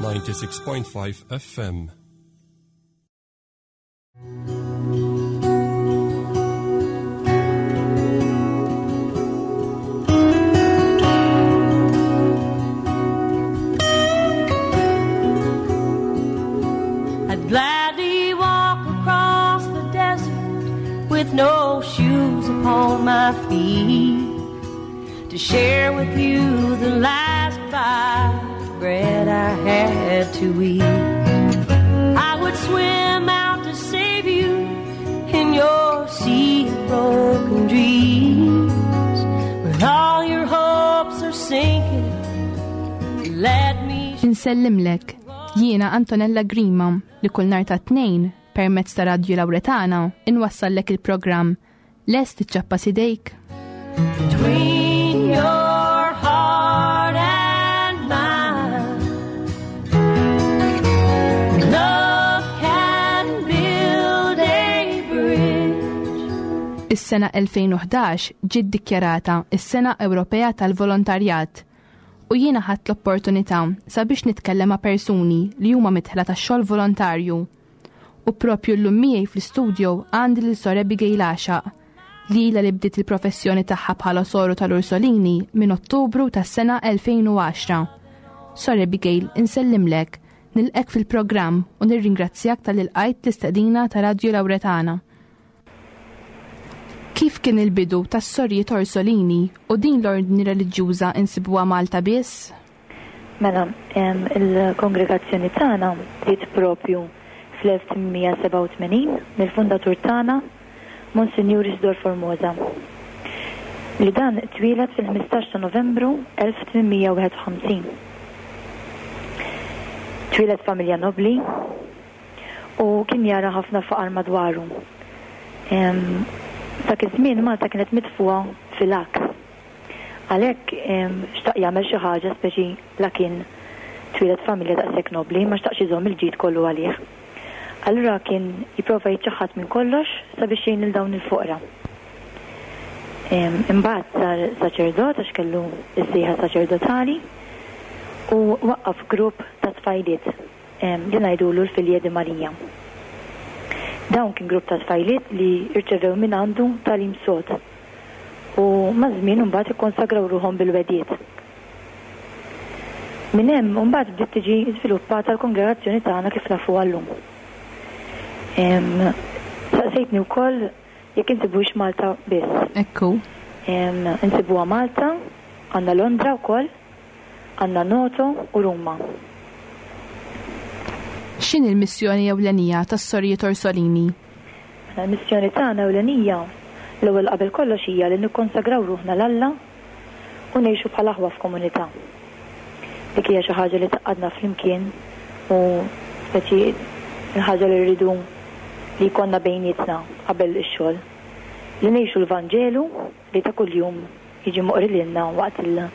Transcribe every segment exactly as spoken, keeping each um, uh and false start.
ninety-six point five F M. I'd gladly walk across the desert with no shoes upon my feet to share with you the last bite of bread I had to eat. I would swim out to save you in your sea of broken dreams. When all your hopes are sinking, let me Insellimlek, jiena Antonella Grima li kull nhar ta' tnejn permezz ta' Radju Lawretana inwassallek il-programm Lest iċċappa sidejk. Between your heart and mine, love can build a bridge. Is-sena elfejn u ħdax ġiet dikjarata is-Sena Ewropea tal-Volontarjat u jiena ħadt l-opportunità sabiex nitkellem ma' persuni li huma midħla tax-xogħol volontarju. U propju llum miegħi fl-istudio għandi lil Sor Abigail Għaxaq li ilha li bdiet il-professjoni tagħha bħala soru tal-Ursolini minn Ottubru tas-sena elfejn u għaxra. Sor Abigail, insellimlek, nilqek fil-programm u nirringrazzjak tal-li lqajt l-istedina ta' Radju Lawretana. Kif kien il-bidu tas-sorijiet Orsolini u din l-ordni reliġjuża insibuha Malta biss? Mela, em, il-kongregazzjoni tagħna bdiet propju fl-elf tmien mija sebgħa u tmenin mill-fundatur tagħna, Monsinjur Isidor Formosa, li dan twieled fil-ħmistax ta' Novembru elf tmien mija wieħed u ħamsin. Twieled familja nobli u kien jara ħafna faqar madwaru. Em, dak iż-żmien Malta kienet mitfuha fil-għaks. Għalhekk, em, xtaq jagħmel xi ħaġa speċi la kien twieled familja daqshekk nobli, ma xtaqx iżomm il-ġid kollu għalih. Allura kien jipprova jiċċaħħad minn kollox sabiex jgħin lil dawn il-foqra. Em, imbagħad sar saċerdot għax kellu s-sejħa saċerdotali u waqqaf grupp ta' tfajliet, em, li ngħidulu l-Filje di Marija. Dawn kien grupp ta' tfajliet li rċevew minn għandu tagħlim sod u maż-żmien imbagħad ikkonsagraw ruħhom bil-wediet. Minn hemm imbagħad bdiet tiġi żviluppata l-kongregazzjoni tagħna kif nafuha llum. Em, saqsejtni wkoll jekk insibux Malta biss. Ekku. Em, insibuha Malta, għandna Londra wkoll, għandna Noto u Ruma. X'inhi l-missjoni ewlenija tas-Sorijiet Orsolini? Mela, l-missjoni tagħna ewlenija l-ewwel qabel kollox hija li nikkonsagraw ruħna 'l Alla u ngħixu bħala aħwa f'komunità. Dik hija xi ħaġa li taqgħadna flimkien u speċi l-ħaġa li rridu li jkollna bejnietna qabel ix-xogħol. Li ngħixu l-Vanġelu li ta' kuljum jiġi moqri lilna waqt il-,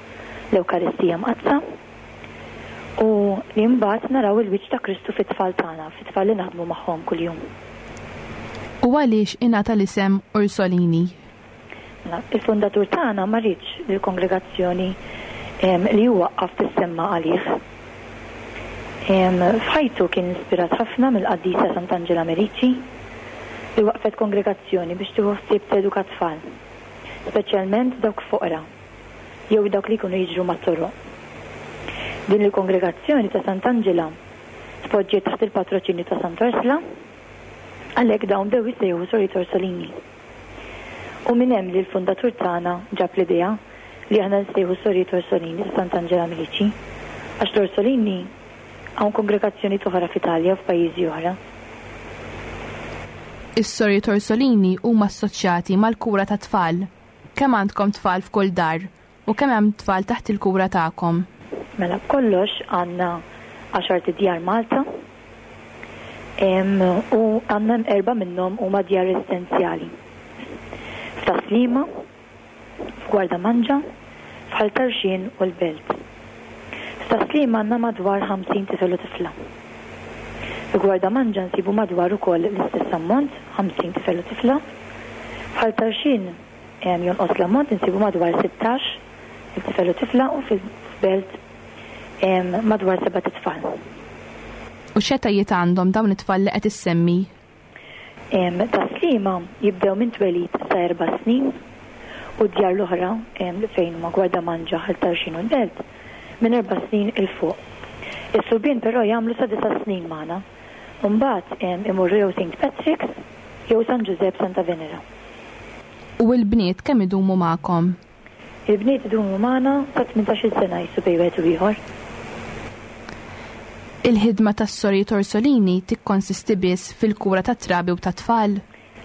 l-Ewkaristija Mqaddsa u li mbagħad naraw il-wiċċ ta' Kristu fit-tfal tagħna, fit-tfal li naħdmu magħhom kuljum. U għaliex ingħata l-isem Orsolini? Mela, il-fundatur tagħna ma riedx li l-kongregazzjoni, em, li huwa waqqaf tissemma għalih. Em, f'ħajtu kien ispirat ħafna mill-qaddisa Sant'Angela Merici li waqfet kongregazzjoni biex tieħu ħsieb teduka tfal, speċjalment dawk foqra jew dawk li jkunu jiġru mat-toroq. Din il-kongregazzjoni ta' Sant'Angela tpoġġiet taħt il-patroċinju ta' Sant'Orsla, għalhekk dawn bdew jissejħu Sorijiet Orsolini. U minn hemm li l-fundatur tagħna ġab l-idea li aħna nsejħu Sorijiet Orsolini ta' Sant'Angela Merici, għax l-Orsolini hawn kongregazzjoni oħra f'Italja u f'pajjiżi oħra. Is-Sorijiet Orsolini huma assoċjati mal-kura ta' tfal. Kemm għandkom tfal f'kull dar u kemm hemm tfal taħt il-kura tagħkom? Mela, b'kollox għandna għaxar djar Malta, em, u għandna erba' minnhom huma djar residenzjali. F'Taslima, f'Gwardamanġa, f'Ħal Tarxien u l-Belt. F'Taslima għandna madwar ħamsin tifel u tifla. F'Gwardamanġa nsibu madwar ukoll l-istess ammont, ħamsin tifel u tifla. F'Ħal Tarxien, em, jonqos l-ammont, insibu madwar sittax il-tifel u tifla, u fil-Belt Madwar seba' tfal. U x'etajiet għandhom dawn it-tfal li qed issemmi? Tas-Sliema jibdew minn twelid sa erba' snin u d-djar l-oħra li fejn huma Gwardamanġa, Ħal Tarxien u l-Belt minn erba' snin 'il fuq. Is-subien però jagħmlu sa disa' snin magħna. U mbagħad imorru jew Saint Patrick's jew San Ġużepp Santa Venera. U l-bniet kemm idumu magħkom? Il-bniet idumu magħna sa tmintax-il sena jisu bejn wieħed u ieħor. Il-ħidma tas-Sorijiet Orsolini tikkonsisti biss fil-kura ta' trabi u ta' tfal?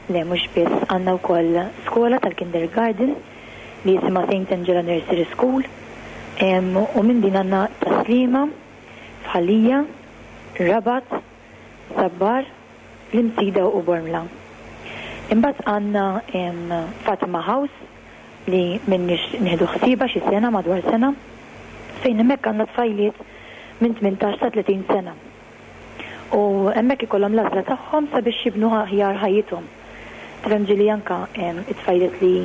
Le, mhux biss, għandna wkoll skola tal-kindergarten li jisimha Saint Angela Nursery School, u minn din għandna Tas-Sliema, f'Ħal Lija, Rabat, Sabbar, l-Imsida u Bormla. Imbagħad għandna Fatima House li minnix nieħdu ħsieba xi sena madwar sena, fejn hemmhekk għandna tfajliet minn tmintax sa tletin sena. U hemmhekk ikollhom l-għażla tagħhom sabiex jibnu aħjar ħajjithom. Tifhem ġieli anka it-tfajliet li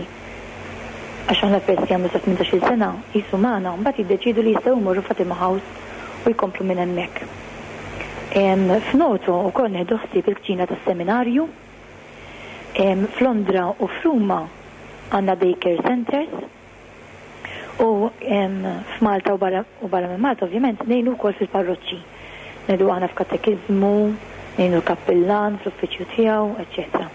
għax aħna peress li jagħmlu sa tmintax-il sena jisu magħna, mbagħad jiddeċiedu li jistgħu jmorru Fatima House u jkomplu minn hemmhekk. F'Noto wkoll nieħdu ħsieb il-kċina tas-seminarju. F'Londra u f'Ruma għandna daycare centers. U f'Malta u barra, u barra minn Malta ovvjament ngħinu wkoll fil-parroċċi. Ngħidu aħna f'katekiżmu, ngħinu l-kappillan fl-uffiċċju tiegħu, eċċetera.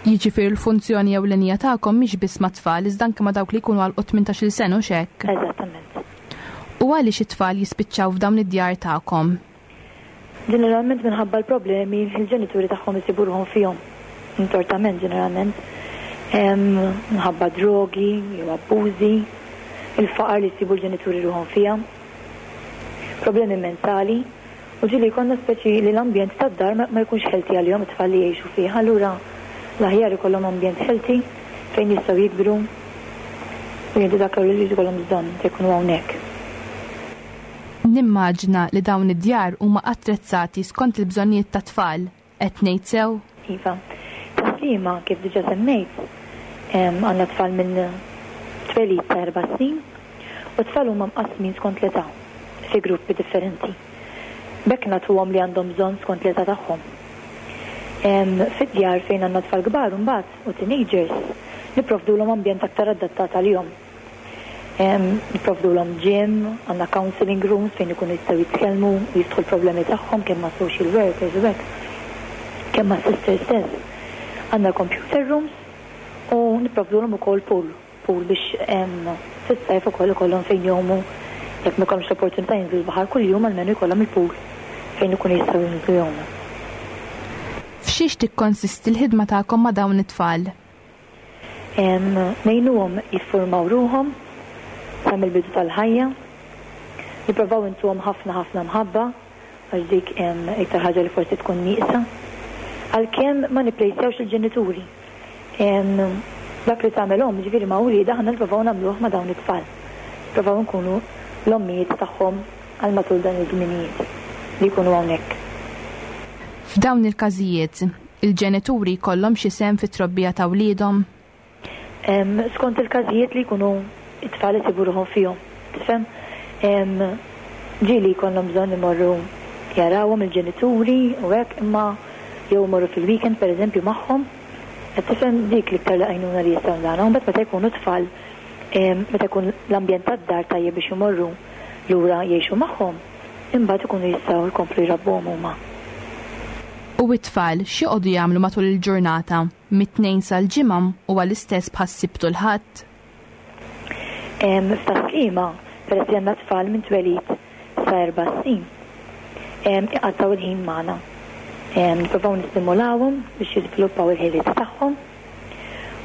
Jiġifieri l-funzjoni ewlenija tagħkom mhix biss mat-tfal, iżda anke ma' dawk li jkunu għalqu tmintax-il sena u x'hekk. Eżattament. U għaliex it-tfal jispiċċaw f'dawn id-djar tagħkom? Ġeneralment minħabba l-problemi li l-ġenituri tagħhom isibu ruħhom fihom. Intortament ġeneralment. Minħabba drogi jew abbużi, il-faqar li jsibu l-ġenituri ruħhom fiha, problemi mentali, u ġieli jkollna speċi li l-ambjent tad-dar ma, ma jkunx healthy għalihom it-tfal li jgħixu fih. Allura l-aħjar ikollhom ambjent healthy fejn jistgħu jikbru u jieħdu dak li jkollhom bżonn se jkunu hawnhekk. Nimmaġina li dawn id-djar huma attrezzati skont il-bżonnijiet tat-tfal, qed ngħid sew? Iva. Tas-Sliema, kif diġà semmejt, għandna tfal minn twelid ta' erba' snin u tfal huma mqassmin skont l-età fi gruppi differenti. B'hekk nagħtuhom li għandhom bżonn skont l-età tagħhom. Fid-djar fejn għandna tfal kbar imbagħad u teenagers nipprovdulhom ambjent aktar adattat għalihom. Nipprovdulhom gym, għandna counseling rooms fejn ikunu jistgħu jitkellmu u jiftħu l-problemi tagħhom kemm ma' social workers u hekk, kemm ma' sisters stess. Għandna computer rooms u nipprovdulhom ukoll pool, pool biex fis-sajf ukoll ikollhom fejn jgħumu, jekk ma jkollhomx l-opportunità jinżlu l-baħar kuljum, almenu jkollhom il-pool fejn ikunu jistgħu jinżlu jgħumu. F'xiex tikkonsisti l-ħidma tagħkom ma' dawn it-tfal? Ngħinuhom jiffurmaw ruħhom sa mill-bidu tal-ħajja, nippruvaw intuhom ħafna ħafna mħabba għax dik iktar ħaġa li forsi tkun nieqsa. Għalkemm ma nipplejsjawx il-ġenituri. Dak li tagħmel omm, ġifieri ma' wliedha, aħna nippruvaw nagħmluh ma' dawn it-tfal. Nippruvaw nkunu l-ommijiet tagħhom għal matul dan iż-żminijiet li jkunu hawnhekk. F'dawn il-każijiet, il-ġenituri jkollhom xi sehem fit-trobbija ta' wliedhom? Skont il-każijiet li jkunu it-tfal isibu ruħhom fihom, tifhem? Ġieli jkollhom bżonn imorru jarawhom il-ġenituri u hekk, imma jew imorru fil-weekend pereżempju magħhom. Qed tifhem dik l-iktar li għajnuna li jistgħu nagħmlu. Mbagħad meta jkunu tfal, meta jkun l-ambjent tad-dar tajjeb biex imorru lura jgħixu magħhom, imbagħad ikunu jistgħu jkomplu jrabbuhom huma. U it-tfal x'joqogħdu jagħmlu matul il-ġurnata? Mit-tnejn sal-ġimgħa huwa l-istess bħas-Sibt u l-Ħadd? F'Tas-Sliema, peress li għandna tfal minn twelid sa erba' snin, iqattgħu il-ħin magħna. Nippruvaw nistimulawhom biex jiżviluppaw il-ħiliet tagħhom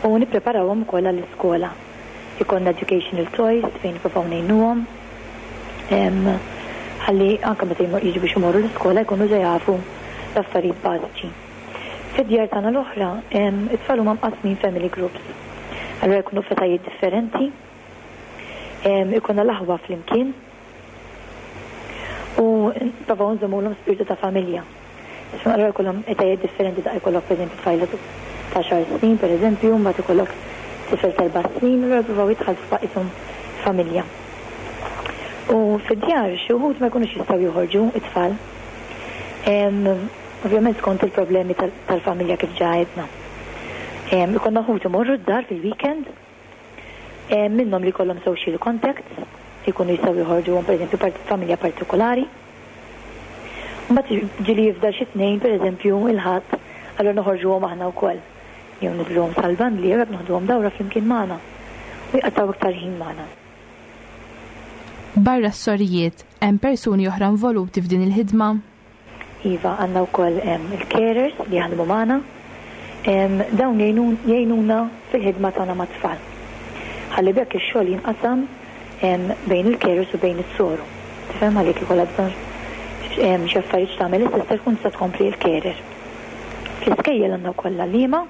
u nippreparawhom ukoll għall-iskola. Ikollna educational toys fejn nippruvaw ngħinuhom. Ħalli anke meta jiġu biex imorru l-iskola jkunu ġa jafu l-affarijiet bażiċi. Fid-djar tagħna l-oħra, it-tfal huma mqassmin family groups. Allura jkunu f'etajiet differenti. Ikollna l-aħwa flimkien u nipprovaw nżommulhom spiritu ta' familja. Allura jkollhom etajiet differenti, da jkollok pereżempju tfajla ta' xar snin, pereżempju, mbagħad ikollok tifel ta' erba' snin, allura jippruvaw jitħallsu baqishom familja. U fid-djar xi wħud ma jkunux jistgħu joħorġu it-tfal. Ovvjament skont il-problemi tal-familja kif ġa għedna. Ikollna ħut imorru d-dar fil-weekend, minnhom li jkollhom social contacts, jkunu jistgħu joħorġu pereżempju familja partikolari. Mbagħad ġieli jifdal xi tnejn pereżempju il-Ħadd, allura noħorġuhom aħna wkoll. Jew niżluhom sal-bandli jew hekk noħduhom dawra flimkien magħna u jqattgħu iktar ħin magħna. Barra s-sorijiet, hemm persuni oħra involuti f'din il-ħidma? Iva, għandna wkoll il-carers li jaħdmu magħna. Dawn jgħinuna fil-ħidma tagħna mat-tfal. Ħalli bekk ix-xogħol jinqasam bejn il-carers u bejn is-soru. Tifhem għalik ikollha bżonn xi affarijiet tagħmel is-sister tkun tista' tkompli l-carer. Fl-iskejjel għandna wkoll għalliema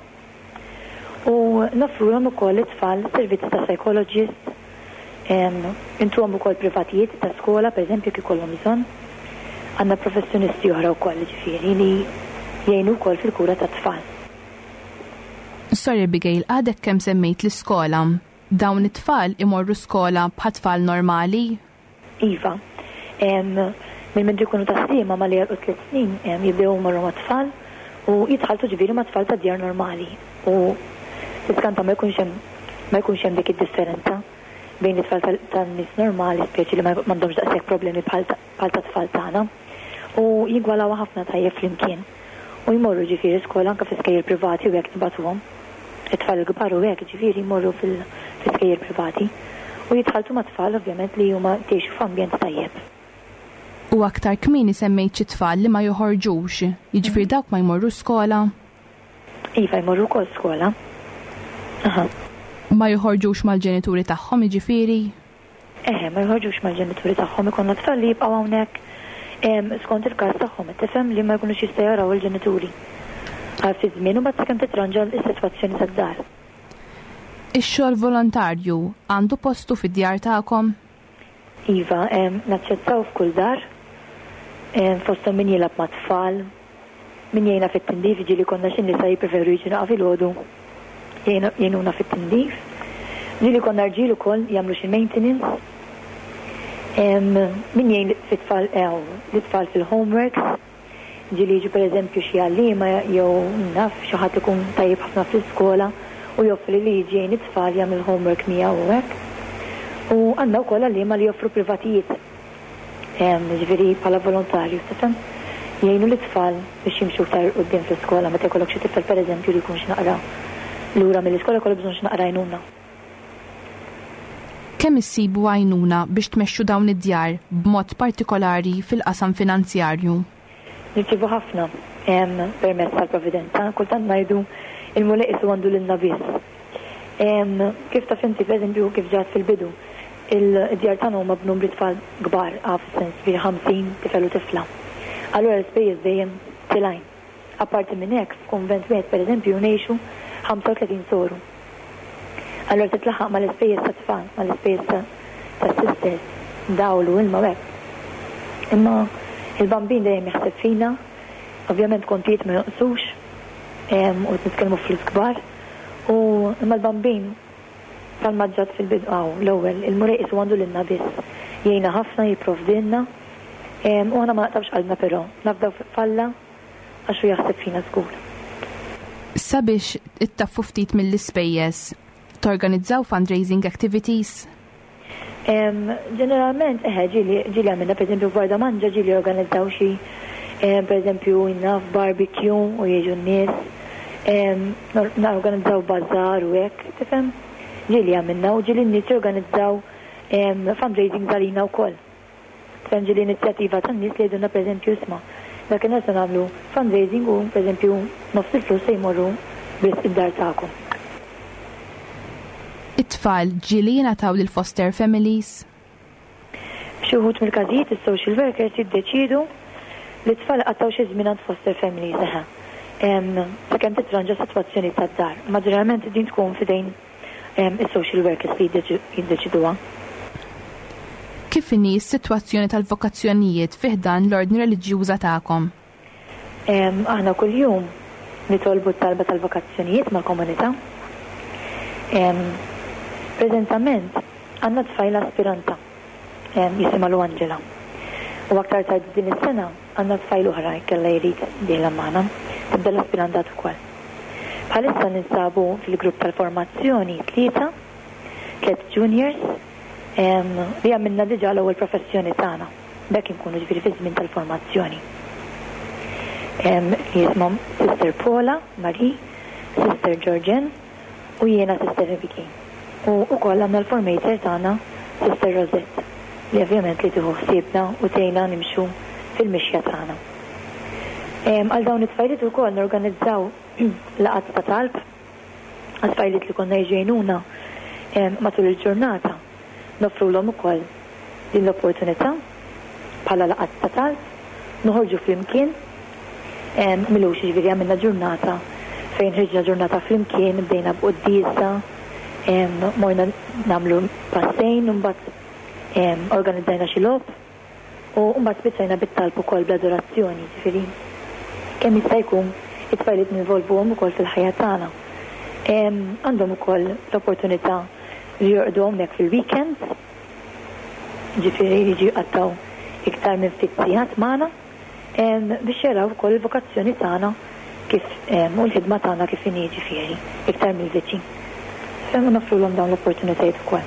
u noffrulhom ukoll it-tfal servizzi ta' psychologist, intuhom ukoll privatijiet ta' skola, pereżempju kif ikollhom bżonn. Għandna professjonisti oħra wkoll ġifieri li jgħinu wkoll fil-kura tat-tfal. Sorry Abigail, għadek kemm semmejt l-iskola. Dawn it-tfal imorru skola bħal tfal normali? Iva. Minn mindu jkunu Tas-Sliema malli jagħlqu tliet snin jibdew imorru mat-tfal u jitħalltu ġifieri mat-tfal ta' djar normali. U tiskanta ma jkunx hemm ma jkunx hemm dik id-differenza bejn it-tfal tan-nies normali, speċi li m'għandhomx daqshekk problemi bħal ta' tfal tagħna. U jingwalaw ħafna tajjeb flimkien. U jmorru ġifieri skola anke fi skejjel privati u hekk nibagħtuhom. It-tfal il-kbar u hekk ġifieri jmorru fil-skejjel privati. U jitħalltu ma' tfal ovvjament li huma jgħixu f'ambjent tajjeb. U aktar kmieni semmejt xi tfal li ma joħorġux, jiġifieri dawk ma jmorru skola? Iva, jmorru wkoll skola. Aha. Ma joħorġux mal-ġenituri tagħhom jiġifieri? Eħe, ma joħorġux mal-ġenituri tagħhom, ikollna tfal li jibqgħu hawnhekk skont il-każ tagħhom, tifhem li ma jkunux jistgħu jaraw il-ġenituri. Għal ftit żmien u mbagħad sakemm titranġa s-sitwazzjoni tad-dar. Ix-xogħol volontarju għandu postu fid-djar tagħkom? Iva, naċċettaw f'kull dar, fosthom min jilgħab mat-tfal, min jgħinna fit-tindif, ġieli konna xi nisa jippreferu jiġu naqa' filgħodu jgħinuna fit-tindif. Ġieli konna rġiel ukoll jagħmlu xi maintenance. Min jgħin fit-tfal l-tfal fil-homeworks, ġieli jiġu pereżempju xi għalliema jew naf xi ħadd ikun tajjeb ħafna fl-iskola u joffri li jiġi jgħin it-tfal jagħmel homework miegħu u hekk. U għandna wkoll għalliema li joffru privatijiet. Ġifieri bħala volontarju, tifhem? Jgħinu l-tfal biex jimxu iktar quddiem fl-iskola meta jkollok xi tifel pereżempju li jkun xi naqra lura mill-iskola jkollu bżonn xi naqra għajnuna. Kemm issibu għajnuna biex tmexxu dawn id-djar b'mod partikolari fil-qasam finanzjarju? Nirċievu ħafna permezz tal-Providenza, kultant ngħidu il-Mulej qisu għandu lilna biss. Kif taf inti pereżempju kif ġat fil-bidu, il-djar tagħna huma b'numri tfal kbar, għaf sens fi ħamsin tifel u tifla. Allura l-ispejjeż dejjem tilgħin. Apparti minn hekk, f'kunvent wieħed pereżempju ngħixu ħamsa u tletin soru. Allura titlaħaq mal-ispejjeż ta' tfal, mal-ispejjeż ta' sisters, dawl u ilma u hekk. Imma il-Bambin dejjem jaħseb fina, ovvjament kontijiet ma jonqsux, u nitkellmu flus kbar, u imma l-Bambin tal-maġġat fil-bidu għaw, l-ewwel, il-Mulej qisu għandu lilna biss. Jgħinna ħafna, jipprovdilna, u aħna ma naqtawx qalbna però, nafdaw f'Alla għax hu jaħseb fina żgur. Sabiex ittaffu ftit mill-ispejjeż, torganizzaw fundraising activities? Ġeneralment, eħe, ġieli, ġieli għamilna, per eżempju, f'Gwardamanġa ġieli organizzaw xi, per eżempju, naf barbecue u jiġu n-nies, norganizzaw bazzar u hekk, tifhem? Ġieli għamilna u ġieli n-nies jorganizzaw fundraising għalina wkoll. Tifhem, ġieli inizjattiva tan-nies li jgħidulna, per eżempju, isma' dakinhar se nagħmlu fundraising u, per eżempju, nofs il-flus se jmorru biss id-dar tagħkom. It-tfal ġieli jingħataw lil foster families? F'xi wħud mill-każijiet is-social workers jiddeċiedu li t-tfal qattgħu xi żmien għand foster families, eħe. Sakemm titranġa sitwazzjoni tad-dar. Ma ġeneralment din tkun f'idejn is-social workers li jiddeċiduha. Kif inhi s-sitwazzjoni tal-vokazzjonijiet fi ħdan l-ordni reliġjuża tagħkom? Aħna kuljum nitolbu t-talba tal-vokazzjonijiet mal-komunità. Preżentament għandna tfajla aspiranta jisimha Lu Angela. U aktar tard din is-sena għandna tfajla oħra kellha jrid dieħla magħna, tibda l-aspirantat ukoll. Bħalissa ninsabu fil-grupp tal-formazzjoni tlieta, tliet juniors, li għamilna diġà l-ewwel professjoni tagħna. B'hekk inkunu ġifieri fi żmien tal-formazzjoni. Li jisimhom Sister Paula, Marie, Sister Georgian u jiena Sister Abigail. U wkoll għandna l-formator tagħna Sister Rosette, li ovvjament li tieħu ħsiebna u tgħinna nimxu fil-mixja tagħna. Għal dawn it-tfajliet ukoll norganizzaw laqgħat ta' talb għat-tfajliet li konna jgħinuna matul il-ġurnata. Noffrulhom ukoll din l-opportunità bħala laqgħat ta' talb, noħorġu flimkien, m'ilux ġifieri għamilna ġurnata fejn ħriġna ġurnata flimkien, bdejna b'quddiesa, morna nagħmlu passejn, mbagħad organizzajna xi logħob u mbagħad spiċċajna bit-talb ukoll bl-adorazzjoni, ġifieri kemm jista' jkun it-tfajliet ninvolvuhom ukoll fil-ħajja tagħna. Għandhom ukoll l-opportunità li jorqdu hawnhekk fil-weekends, ġifieri jiġu jqattgħu iktar minn ftit sigħat magħna biex jaraw ukoll il-vokazzjoni tagħna kif u l-ħidma tagħna kif inhi, ġifieri iktar mill-viċin. Femmu noffrulhom dawn l-opportunitajiet ukoll.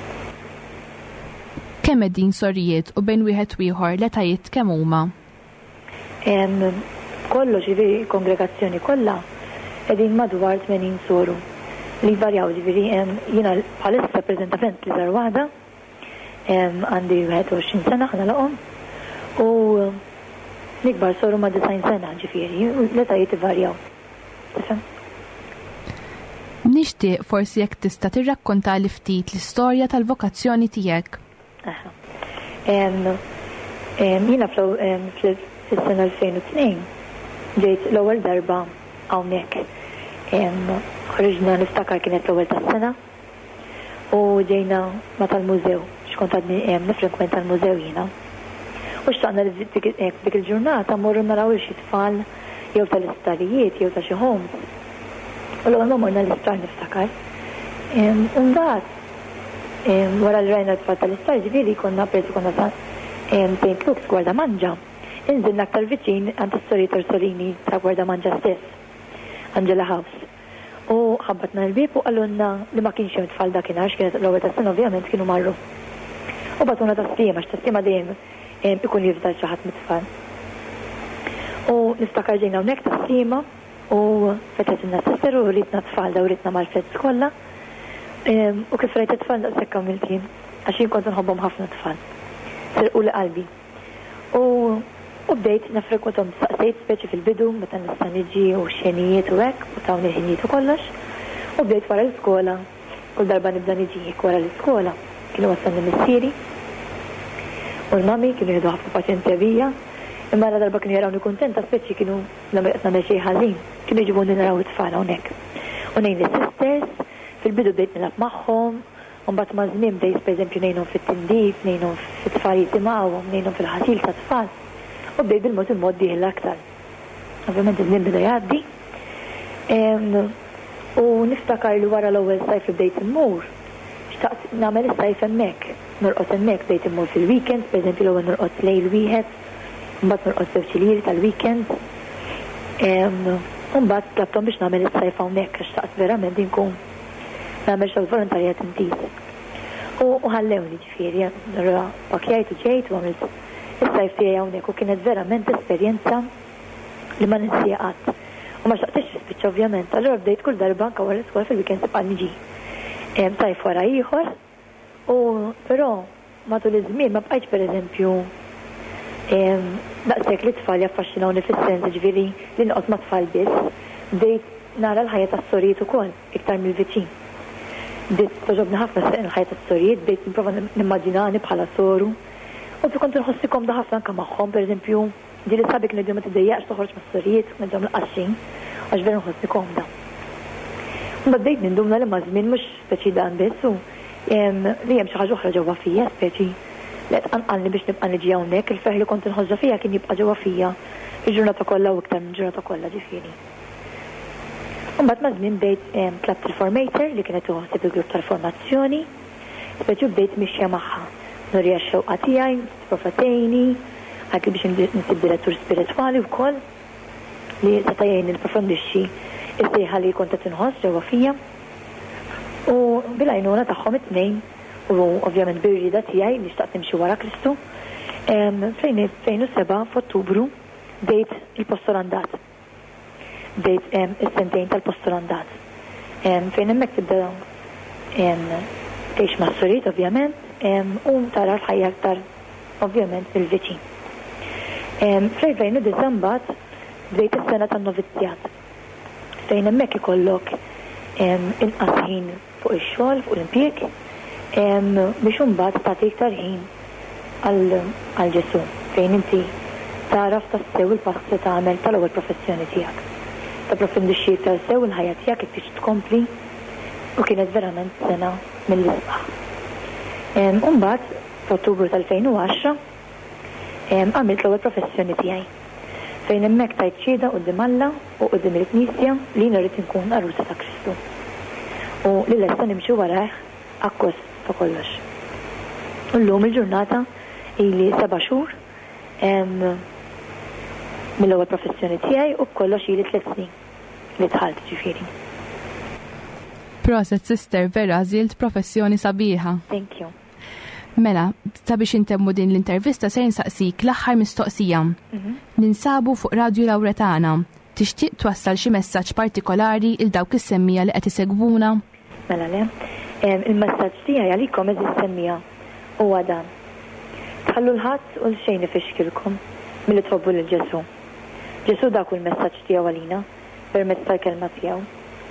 Kemm qegħdin sorijiet u bejn wieħed u ieħor l-etajiet kemm huma? Kollox, ġifieri kongregazzjoni kollha qegħdin madwar tmenin soru li varjaw, ġifieri jiena bħalissa preżentament l-iżgħar waħda, għandi wieħed u għoxrin sena ħa nagħlaqhom, u l-ikbar soru ma' disgħin sena, ġifieri u l-etajiet ivarjaw. Tifhem? Nixtieq forsi jekk tista' tirrakkonta li ftit l-istorja tal-vokazzjoni tiegħek. Aha. Jiena fis-sena elfejn u tnejn ġejt l-ewwel darba hawnhekk. Ħriġna, niftakar kienet l-ewwel tas-sena u ġejna ma tal-mużew, x'kont għadni nifrekwenta l-mużew jiena. U xtaqna li dik dik il-ġurnata morru naraw xi tfal jew tal-isptarijiet jew ta' xi homes. U l-ewwel ma morna l-isptar, niftakar. U mbagħad wara li rajna t-tfal tal-isptar, ġifieri konna persi konna sa Saint Luke's Gwardamanġa. Inżilna aktar viċin għand is-sorijiet Orsolini ta' Gwardamanġa stess, Angela House. U ħabbatna l-bib u qalulna li ma kienx hemm tfal dakinhar, kienet l-ewwel tas-sena, ovvjament kienu marru. U bagħtuna Tas-Sliema, għax Tas-Sliema dejjem ikun jifdal xi ħadd mit-tfal. U niftakar ġejna hawnhekk Tas-Sliema u fetħetilna sister u wrietna tfal, dawritna mal-flats kollha. U kif rajt it-tfal daqshekk għamilt jien, għax jien kont nħobbhom ħafna tfal. Serquli qalbi. U u bdejt nafrekwentahom, saqsejt speċi fil-bidu meta nista' niġi u xenijiet u hekk, u tawni ħinijiet u kollox. U bdejt wara l-iskola, kull darba nibda niġi hekk wara l-iskola. Kienu wassalni missieri u l-mami kienu jieħdu ħafna paċenzja bija, imma la darba kienu jarawni kuntenta, speċi kienu qed nagħmel xejn ħażin, kienu jġibuni naraw it-tfal hawnhekk. U ngħin lis-sisters, fil-bidu bdejt nilgħab magħhom, u mbagħad ma' żmien bdejt pereżempju ngħinhom fit-tindif, ngħinhom fit-tfal jitimgħuhom, ngħinhom fil-ħasil tat-tfal. U bdejt bil-mod il-mod dieħel aktar. Ovvjament iż-żmien beda jgħaddi. U niftakar li wara l-ewwel sajf li bdejt immur, xtaqt nagħmel is-sajf hemmhekk, norqod hemmhekk, bdejt immur fil-weekend, pereżempju l-ewwel norqod lejl wieħed, mbagħad norqod żewġ iljieli tal-weekend. U mbagħad tlabthom biex nagħmel is-sajf hawnhekk għax xtaqt verament inkun nagħmel xogħol volontarjat intiż. U ħallewni, ġifieri, allura pakjajt u ġejt u għamilt is-sajf tiegħi hawnhekk u kienet verament esperjenza li ma ninsieha qatt. U ma xtaqtix tispiċċa ovvjament, allura bdejt kull darba anke wara l-iskola fil-weekend tibqa' niġi. Sajf wara ieħor, u però matul iż-żmien ma bqajtx pereżempju daqshekk li tfal jaffaxxinawni fis-sens ġifieri li noqgħod ma' tfal biss, bdejt nara l-ħajja tas-sorijiet ukoll iktar mill-viċin. Bdejt togħġobni ħafna il-ħajja tas-sorijiet, bdejt nipprova nimmaġinani bħala soru. U kont nħossi komda ħafna anke magħhom, pereżempju, ġieli sħabi kienu ma tiddejjaqx toħroġ mas-sorijiet, ngħidilhom l-qaxxin, għax veru nħossni komda. Mbagħad bdejt ninduna li maż-żmien mhux speċi dan biss u li hemm xi ħaġa oħra ġewwa fija, speċi li qed tqanqalni biex nibqa' niġi hawnhekk, il-ferħ li kont inħossha fija kien jibqa' ġewwa fija il-ġurnata kollha u iktar minn ġurnata kollha, ġifieri. U mbagħad maż-żmien bdejt tlabt il-formator li kienet tieħu ħsieb il-grupp tal-formazzjoni, speċi bdejt mixja magħha. Nuriha x-xewqa tiegħi, tipprova tgħinni, qaltli biex nsib direttur spiritwali wkoll li seta' jgħinni nipprofondixxi s-sejħa li kont qed inħoss ġewwa fija. U bil-għajnuna tagħhom it-tnejn u ovvjament bir-rieda tiegħi li xtaqt nimxi wara Kristu, fl-elfejn u seba' f'Ottubru bdejt il-postolandat. Bdejt is-sentejn tal-postolandat. Fejn hemmhekk tibda tgħix mas-suriet ovvjament u tara l-ħajja aktar ovvjament mill-viċin. Fl-elfejn u disa' mbagħad bdejt is-sena tan-novizzjat. Fejn hemmhekk ikollok inqas ħin fuq ix-xogħol, fuq l-impjieg, biex imbagħad tagħti iktar ħin għal Ġesù, fejn inti taraf tassew il-pass li tagħmel tal-ewwel professjoni tiegħek. Tapprofondixxi iktar sew il-ħajja tiegħek kif trid tkompli, u kienet verament sena mill-isbaħ. U mbagħad f'Ottubru tal-elfejn u għaxra għamilt l-ewwel professjoni tiegħi, fejn hemmhekk tajt xhieda quddiem Alla u quddiem il-Knisja li jiena rrid inkun għarusa ta' Kristu u li lesta nimxi warajh akkost ta' kollox. U llum il-ġurnata ili seba' xhur mill-ewwel professjoni tiegħi u b'kollox ili tliet snin li dħalt ġifieri. Proset sister, vera għażilt professjoni sabiħa. Thank you. Mela, sabiex intemmu din l-intervista se nsaqsik l-aħħar mistoqsija. Mhm. Ninsabu fuq Radio Lauretana. Tixtieq twassal xi messaġġ partikolari il dawk is-semmija li qed isegwuna? Mela le. Em, il-messaġġ tiegħi għalikom eżis semmija huwa dan. Tħallu l-ħadd u l-xejn ifixkilkom milli tħobbu lil Ġesù. Ġesù dak hu l-messaġġ tiegħu għalina permezz tal-kelma tiegħu.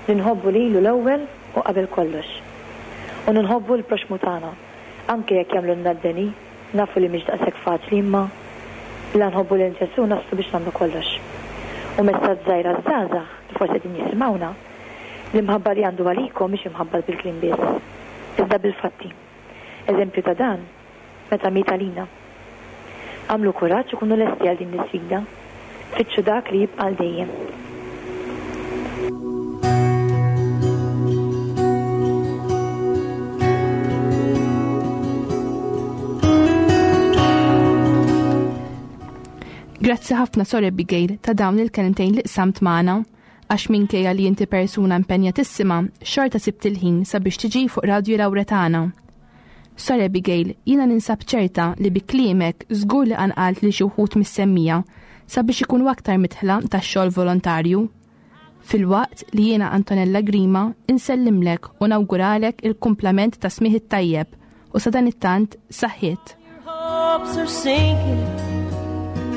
Li nħobbu lilu l-ewwel u qabel kollox. U nħobbu l-proxmu tagħna. Anke jekk jagħmlulna d-deni, nafu li mhix daqshekk faċli, imma la nħobbu lil Ġesù naslu biex nagħmlu kollox. U messaġġ żgħir għaż-żgħażagħ li forsi qegħdin jisimgħuna, l-imħabba li għandu għalikom mhix imħabba bil-kliem biss, iżda bil-fatti. Eżempju ta' dan, meta miet għalina. Għamlu kuraġġ u kunu lesti għal din l-isfida. Fittxu dak li jibqa' għal dejjem. Grazzi ħafna Sor Abigail ta' dawn il-kelmtejn li qsamt magħna, għax minkejja li inti persuna impenjatissima, xorta sibt il-ħin sabiex tiġi fuq Radio Lauretana. Sor Abigail, jiena ninsab ċerta li bi kliemek żgur li qanqalt li xi wħud mis-semmija sabiex ikunu aktar mitħla tax-xogħol volontarju. Filwaqt li jiena Antonella Grima insellimlek u nawguralek il-kumplament ta' smigħ it-tajjeb u sadanittant saħħiet. Hopes are sinking.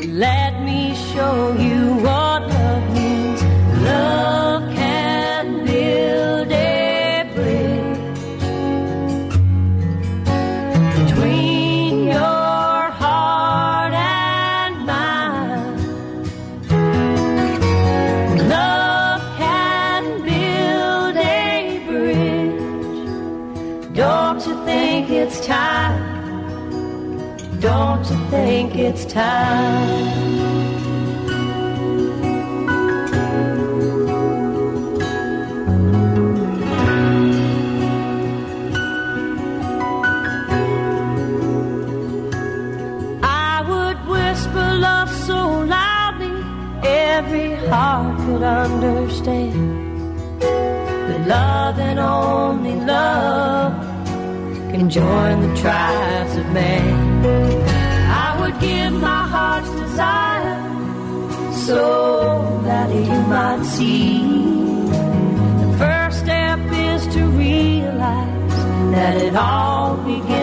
Let me show you what love means. Love can build a bridge between your heart and mine. Love can build a bridge. Don't you think it's time? Don't you think it's time? I would whisper love so loudly every heart could understand that love and only love can join the tribes of man. I would give my heart's desire so that you might see. The first step is to realize that it all begins